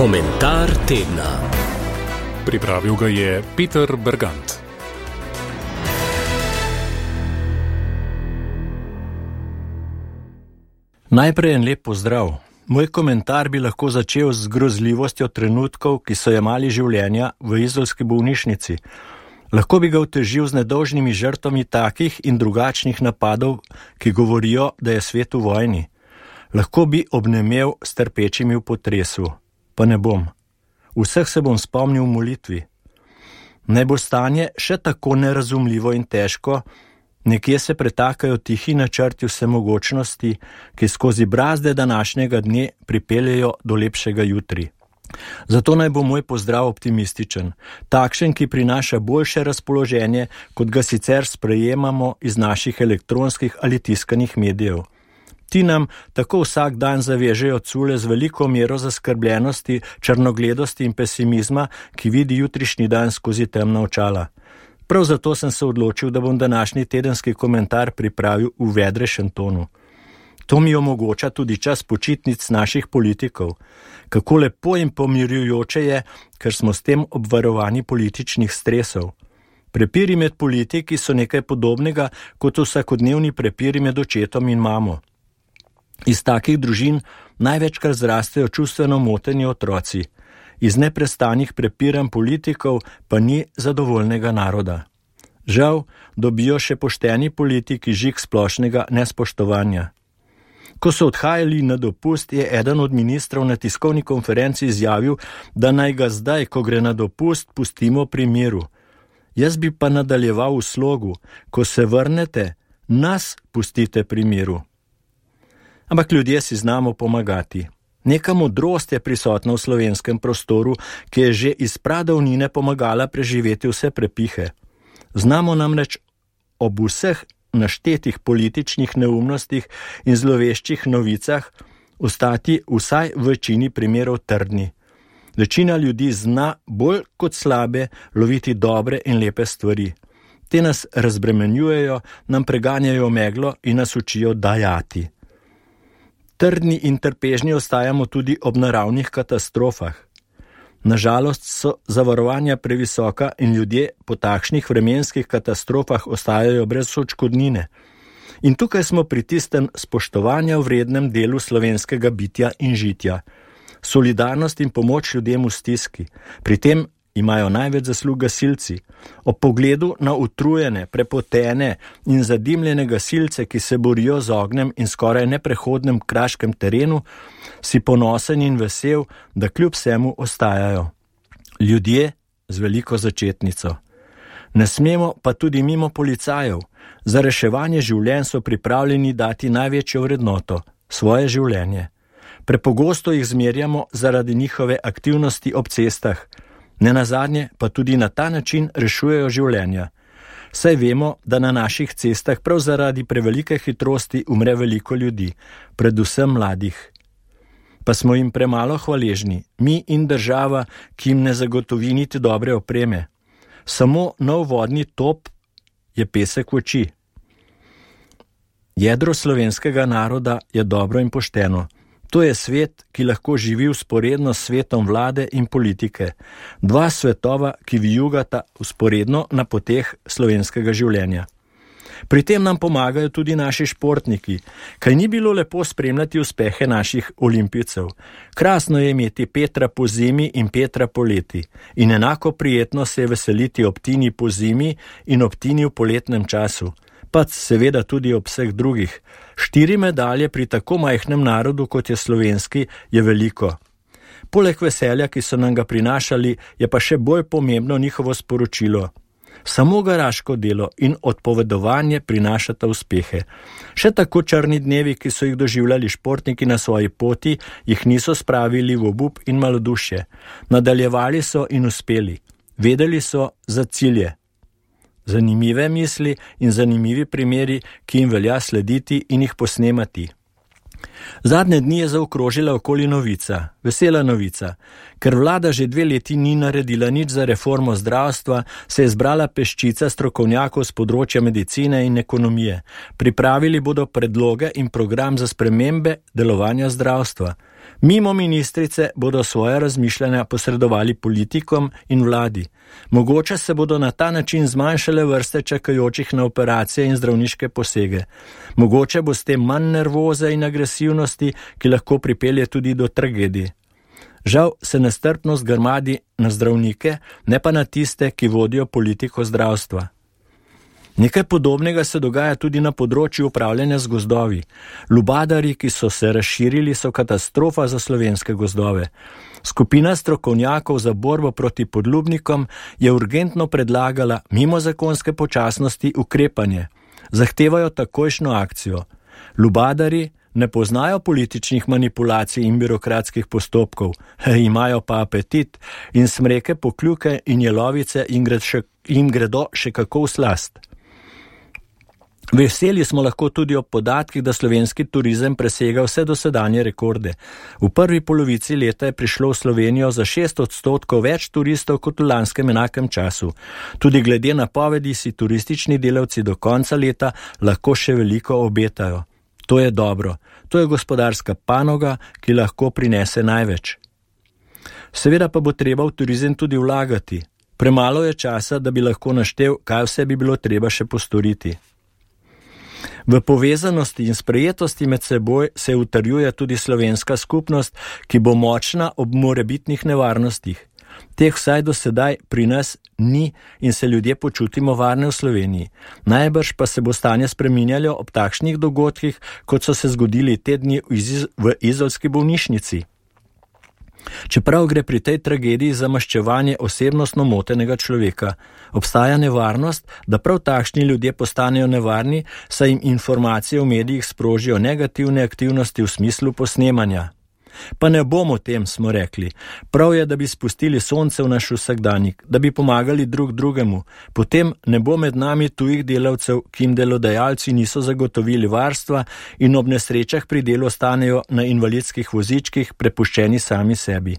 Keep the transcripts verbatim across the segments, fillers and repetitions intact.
Komentar tedna. Pripravil ga je Peter Bergant. Najprej en lep pozdrav. Moj komentar bi lahko začel z grozljivostjo trenutkov, ki so jemali življenja v izolski bolnišnici. Lahko bi ga otežil z nedolžnimi žrtvami takih in drugačnih napadov, ki govorijo, da je svet v vojni. Lahko bi obnemel s trpečimi v potresu, pa ne bom. Vseh se bom spomnil v molitvi. Naj bo stanje še tako nerazumljivo in težko, nekje se pretakajo tihi načrti vsemogočnosti, ki skozi brazde današnjega dne pripeljejo do lepšega jutri. Zato naj bo moj pozdrav optimističen, takšen, ki prinaša boljše razpoloženje, kot ga sicer sprejemamo iz naših elektronskih ali tiskanih medijev. Ti nam tako vsak dan zavežejo cule z veliko mero zaskrbljenosti, črnogledosti in pesimizma, ki vidi jutrišnji dan skozi temna očala. Prav zato sem se odločil, da bom današnji tedenski komentar pripravil v vedrejšem tonu. To mi omogoča tudi čas počitnic naših politikov. Kako lepo in pomirjujoče je, ker smo s tem obvarovani političnih stresov. Prepiri med politiki so nekaj podobnega kot vsakodnevni prepiri med očetom in mamo. Iz takih družin največkrat zrastejo čustveno moteni otroci. Iz neprestanih prepiranj politikov pa ni zadovoljnega naroda. Žal, dobijo še pošteni politiki žig splošnega nespoštovanja. Ko so odhajali na dopust, je eden od ministrov na tiskovni konferenci izjavil, da naj ga zdaj, ko gre na dopust, pustimo pri miru. Jaz bi pa nadaljeval v slogu, ko se vrnete, nas pustite pri miru. Ampak ljudje si znamo pomagati. Neka modrost je prisotna v slovenskem prostoru, ki je že iz pradavnine pomagala preživeti vse prepihe. Znamo namreč ob vseh naštetih političnih neumnostih in zloveščih novicah ostati vsaj v večini primerov trdni. Večina ljudi zna bolj kot slabe loviti dobre in lepe stvari. Te nas razbremenjujejo, nam preganjajo meglo in nas učijo dajati. Trdni in trpežni ostajamo tudi ob naravnih katastrofah. Nažalost so zavarovanja previsoka in ljudje po takšnih vremenskih katastrofah ostajajo brez odškodnine. In tukaj smo pri tistem spoštovanja vrednem delu slovenskega bitja in žitja. Solidarnost in pomoč ljudem v stiski. Pri tem imajo največ zaslug gasilci. Ob pogledu na utrujene, prepotene in zadimljene gasilce, ki se borijo z ognjem in skoraj neprehodnem kraškem terenu, si ponosen in vesel, da kljub vsemu ostajajo. Ljudje z veliko začetnico. Ne smemo pa tudi mimo policajev. Za reševanje življenj so pripravljeni dati največjo vrednoto, svoje življenje. Prepogosto jih zmerjamo zaradi njihove aktivnosti ob cestah. Nenazadnje pa tudi na ta način rešujejo življenja. Saj vemo, da na naših cestah prav zaradi prevelike hitrosti umre veliko ljudi, predvsem mladih. Pa smo jim premalo hvaležni, mi in država, ki jim ne zagotovi niti dobre opreme. Samo nov vodni top je pesek v oči. Jedro slovenskega naroda je dobro in pošteno. To je svet, ki lahko živi vzporedno s svetom vlade in politike. Dva svetova, ki vijugata vzporedno na poteh slovenskega življenja. Pri tem nam pomagajo tudi naši športniki. Kaj ni bilo lepo spremljati uspehe naših olimpijcev? Krasno je imeti Petra po zimi in Petra po leti. In enako prijetno se je veseliti ob Tini po zimi in ob Tini v poletnem času. Pa seveda tudi ob vseh drugih. Štiri medalje pri tako majhnem narodu, kot je slovenski, je veliko. Poleg veselja, ki so nam ga prinašali, je pa še bolj pomembno njihovo sporočilo. Samo garaško delo in odpovedovanje prinašata uspehe. Še tako črni dnevi, ki so jih doživljali športniki na svoji poti, jih niso spravili v obup in malodušje. Nadaljevali so in uspeli. Vedeli so za cilje. Zanimive misli in zanimivi primeri, ki jim velja slediti in jih posnemati. Zadnje dni je zaokrožila okoli novica, vesela novica. Ker vlada že dve leti ni naredila nič za reformo zdravstva, se je zbrala peščica strokovnjakov z področja medicine in ekonomije. Pripravili bodo predloge in program za spremembe delovanja zdravstva. Mimo ministrice bodo svoje razmišljanja posredovali politikom in vladi. Mogoče se bodo na ta način zmanjšale vrste čakajočih na operacije in zdravniške posege. Mogoče bo s tem manj nervoze in agresivnosti, ki lahko pripelje tudi do tragedij. Žal se nestrpnost grmadi na zdravnike, ne pa na tiste, ki vodijo politiko zdravstva. Nekaj podobnega se dogaja tudi na področju upravljanja z gozdovi. Lubadari, ki so se razširili, so katastrofa za slovenske gozdove. Skupina strokovnjakov za borbo proti podlubnikom je urgentno predlagala mimo zakonske počasnosti ukrepanje. Zahtevajo takojšno akcijo. Lubadari ne poznajo političnih manipulacij in birokratskih postopkov, imajo pa apetit in smreke, pokljuke in jelovice jim, gred še, jim gredo še kako v slast. Veseli smo lahko tudi ob podatkih, da slovenski turizem presega vse dosedanje rekorde. V prvi polovici leta je prišlo v Slovenijo za šest odstotkov več turistov kot v lanskem enakem času. Tudi glede na napovedi si turistični delavci do konca leta lahko še veliko obetajo. To je dobro. To je gospodarska panoga, ki lahko prinese največ. Seveda pa bo treba v turizem tudi vlagati. Premalo je časa, da bi lahko naštel, kaj vse bi bilo treba še postoriti. V povezanosti in sprejetosti med seboj se utrjuje tudi slovenska skupnost, ki bo močna ob morebitnih nevarnostih. Teh vsaj do sedaj pri nas ni in se ljudje počutimo varne v Sloveniji. Najbrž pa se bo stanje spreminjalo ob takšnih dogodkih, kot so se zgodili te dni v izolski bolnišnici. Čeprav gre pri tej tragediji za maščevanje osebnostno motenega človeka, obstaja nevarnost, da prav takšni ljudje postanejo nevarni, saj jim informacije v medijih sprožijo negativne aktivnosti v smislu posnemanja. Pa ne bomo tem, smo rekli. Prav je, da bi spustili sonce v naš vsakdanjik, da bi pomagali drug drugemu. Potem ne bo med nami tujih delavcev, ki jim delodajalci niso zagotovili varstva in ob nesrečah pri delu ostanejo na invalidskih vozičkih prepuščeni sami sebi.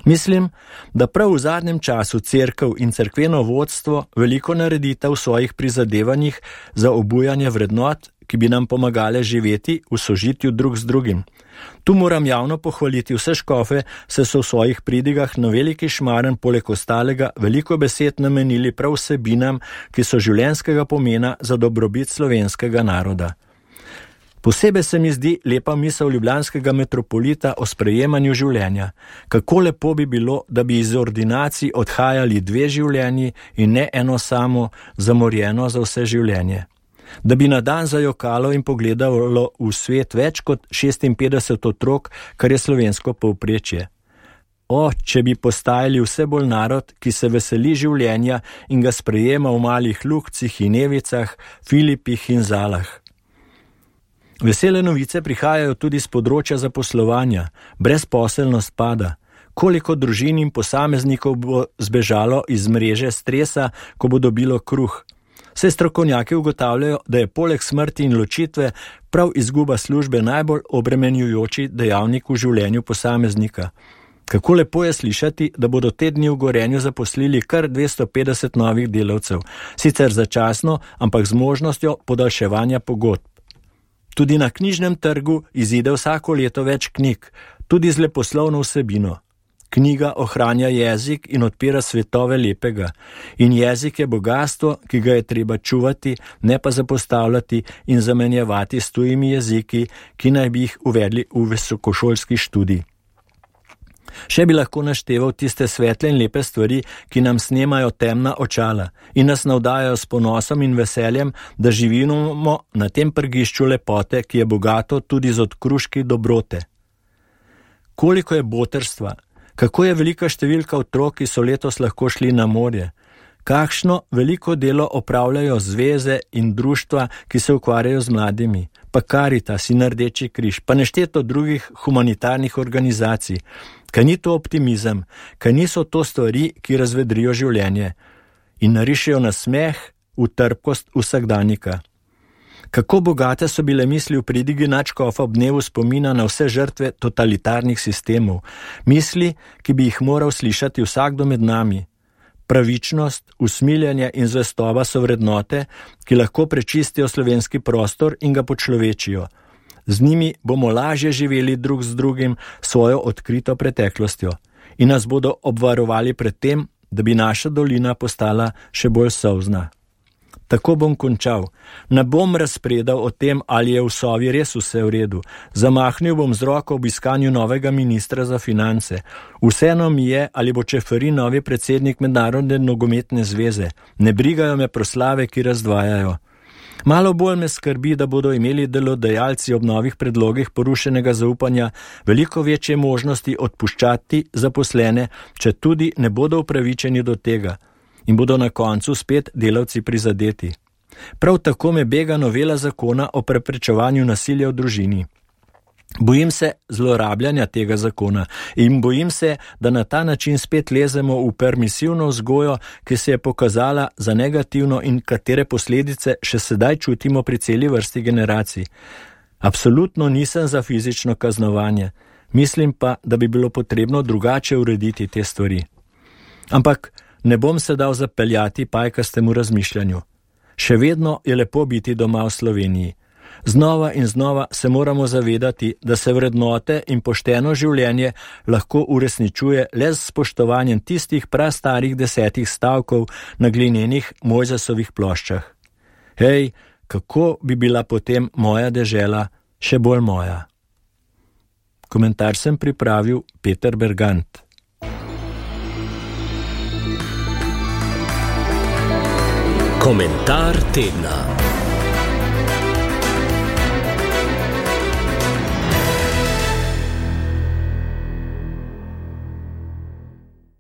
Mislim, da prav v zadnjem času cerkev in cerkveno vodstvo veliko naredita v svojih prizadevanjih za obujanje vrednot, ki bi nam pomagale živeti v sožitju drug z drugim. Tu moram javno pohvaliti vse škofe, saj so v svojih pridigah na Veliki Šmaren poleg ostalega veliko besed namenili prav vsebinam, ki so življenjskega pomena za dobrobit slovenskega naroda. Posebej se mi zdi lepa misel ljubljanskega metropolita o sprejemanju življenja. Kako lepo bi bilo, da bi iz ordinacij odhajali dve življenji in ne eno samo, zamorjeno za vse življenje. Da bi na dan zajokalo in pogledalo v svet več kot šestinpetdeset otrok, kar je slovensko povprečje. O, če bi postajali vse bolj narod, ki se veseli življenja in ga sprejema v malih lukcih in evicah, filipih in zalah. Vesele novice prihajajo tudi z področja zaposlovanja, brezposelnost pada. Koliko družin in posameznikov bo zbežalo iz mreže stresa, ko bo dobilo kruh? Vse strokovnjaki ugotavljajo, da je poleg smrti in ločitve prav izguba službe najbolj obremenjujoči dejavnik v življenju posameznika. Kako lepo je slišati, da bodo te dni v Gorenju zaposlili kar dvesto petdeset novih delavcev, sicer začasno, ampak z možnostjo podaljševanja pogodb. Tudi na knjižnem trgu izide vsako leto več knjig, tudi z leposlovno vsebino. Knjiga ohranja jezik in odpira svetove lepega. In jezik je bogastvo, ki ga je treba čuvati, ne pa zapostavljati in zamenjevati s tujimi jeziki, ki naj bi jih uvedli v visokošolski študij. Še bi lahko našteval tiste svetle in lepe stvari, ki nam snemajo temna očala in nas navdajajo s ponosom in veseljem, da živimo na tem prgišču lepote, ki je bogato tudi z odkruški dobrote. Koliko je botrstva, kako je velika številka otrok, ki so letos lahko šli na morje, kakšno veliko delo opravljajo zveze in društva, ki se ukvarjajo z mladimi, pa Karitas in Rdeči križ, pa nešteto drugih humanitarnih organizacij. Kaj ni to optimizem, kaj niso to stvari, ki razvedrijo življenje in narišejo nasmeh v trpkost vsakdanjika. Kako bogate so bile misli v pridigi nadškofa ob dnevu spomina na vse žrtve totalitarnih sistemov, misli, ki bi jih moral slišati vsakdo med nami. Pravičnost, usmiljenje in zvestoba so vrednote, ki lahko prečistijo slovenski prostor in ga počlovečijo. Z njimi bomo lažje živeli drug z drugim svojo odkrito preteklostjo in nas bodo obvarovali pred tem, da bi naša dolina postala še bolj solzna. Tako bom končal. Ne bom razpredal o tem, ali je v Sovi res vse v redu. Zamahnil bom z roko ob iskanju novega ministra za finance. Vseeno mi je, ali bo Čeferin novi predsednik Mednarodne nogometne zveze. Ne brigajo me proslave, ki razdvajajo. Malo bolj me skrbi, da bodo imeli delodajalci ob novih predlogih porušenega zaupanja veliko večje možnosti odpuščati zaposlene, če tudi ne bodo upravičeni do tega. In bodo na koncu spet delavci prizadeti. Prav tako me bega novela zakona o preprečevanju nasilja v družini. Bojim se zlorabljanja tega zakona in bojim se, da na ta način spet lezemo v permisivno vzgojo, ki se je pokazala za negativno in katere posledice še sedaj čutimo pri celi vrsti generacij. Absolutno nisem za fizično kaznovanje. Mislim pa, da bi bilo potrebno drugače urediti te stvari. Ampak ne bom se dal zapeljati pajkastemu razmišljanju. Še vedno je lepo biti doma v Sloveniji. Znova in znova se moramo zavedati, da se vrednote in pošteno življenje lahko uresničuje le s spoštovanjem tistih prastarih desetih stavkov na glinenih Mojzesovih ploščah. Hej, kako bi bila potem moja dežela še bolj moja? Komentar sem pripravil Peter Bergant. Komentar tedna.